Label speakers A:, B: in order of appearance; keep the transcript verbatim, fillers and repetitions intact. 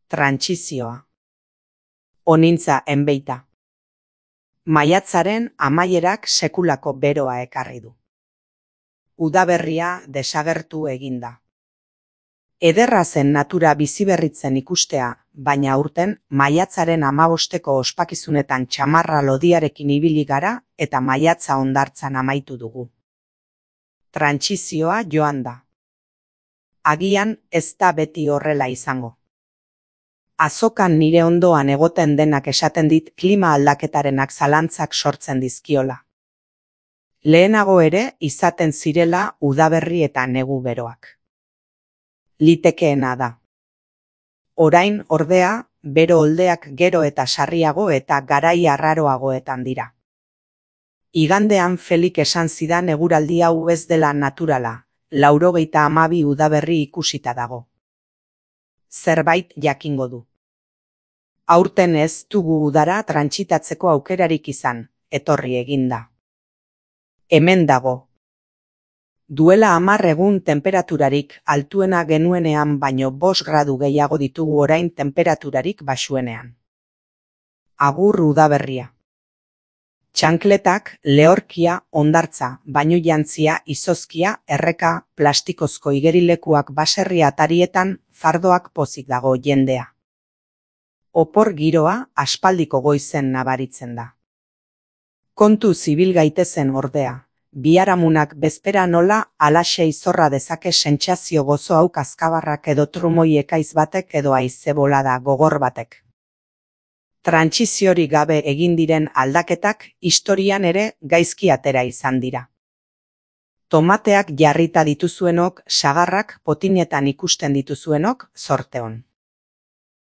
A: Trantsizioa. Onintza enbeita. Maiatzaren amaierak sekulako beroa ekarri du. Udaberria desagertu eginda. Ederra zen natura biziberritzen ikustea, baina aurten maiatzaren amabosteko ospakizunetan txamarra lodiarekin ibili gara eta maiatza hondartzan amaitu dugu. Trantsizioa joan da. Agian ez da beti horrela izango. Azokan nire ondoan egoten denak esaten dit klima aldaketarenak zalantzak sortzen dizkiola. Lehenago ere izaten zirela udaberri eta negu beroak. Litekeena da. Orain, ordea, bero oldeak gero eta sarriago eta garai arraroagoetan dira. Igandean Felik esan zidan eguraldi hau ez dela naturala, laurogeita hamabi udaberri ikusita dago. Zerbait jakingo du. Aurten ez dugu udara trantsitatzeko aukerarik izan, etorri eginda. Hemen dago. Duela hamar egun tenperaturarik altuena genuenean baino bost gradu gehiago ditugu orain tenperaturarik baxuenean. Agur udaberria. Txankletak, lehorkia, hondartza, bainujantzia, izozkia, erreka, plastikozko igerilekuak baserri atarietan, fardoak pozik dago jendea. Opor giroa aspaldiko goizen nabaritzen da. Kontu zibil gaitezen ordea, biharamunak bezpera nola alaxe izorra dezake sentsazio gozo hau kazkabarrak edo trumoi ekaiz batek edo haize bolada gogor batek. Trantsiziori gabe egin diren aldaketak historian ere gaizki atera izan dira. Tomateak jarrita dituzuenok, sagarrak potinetan ikusten dituzuenok, zorte on.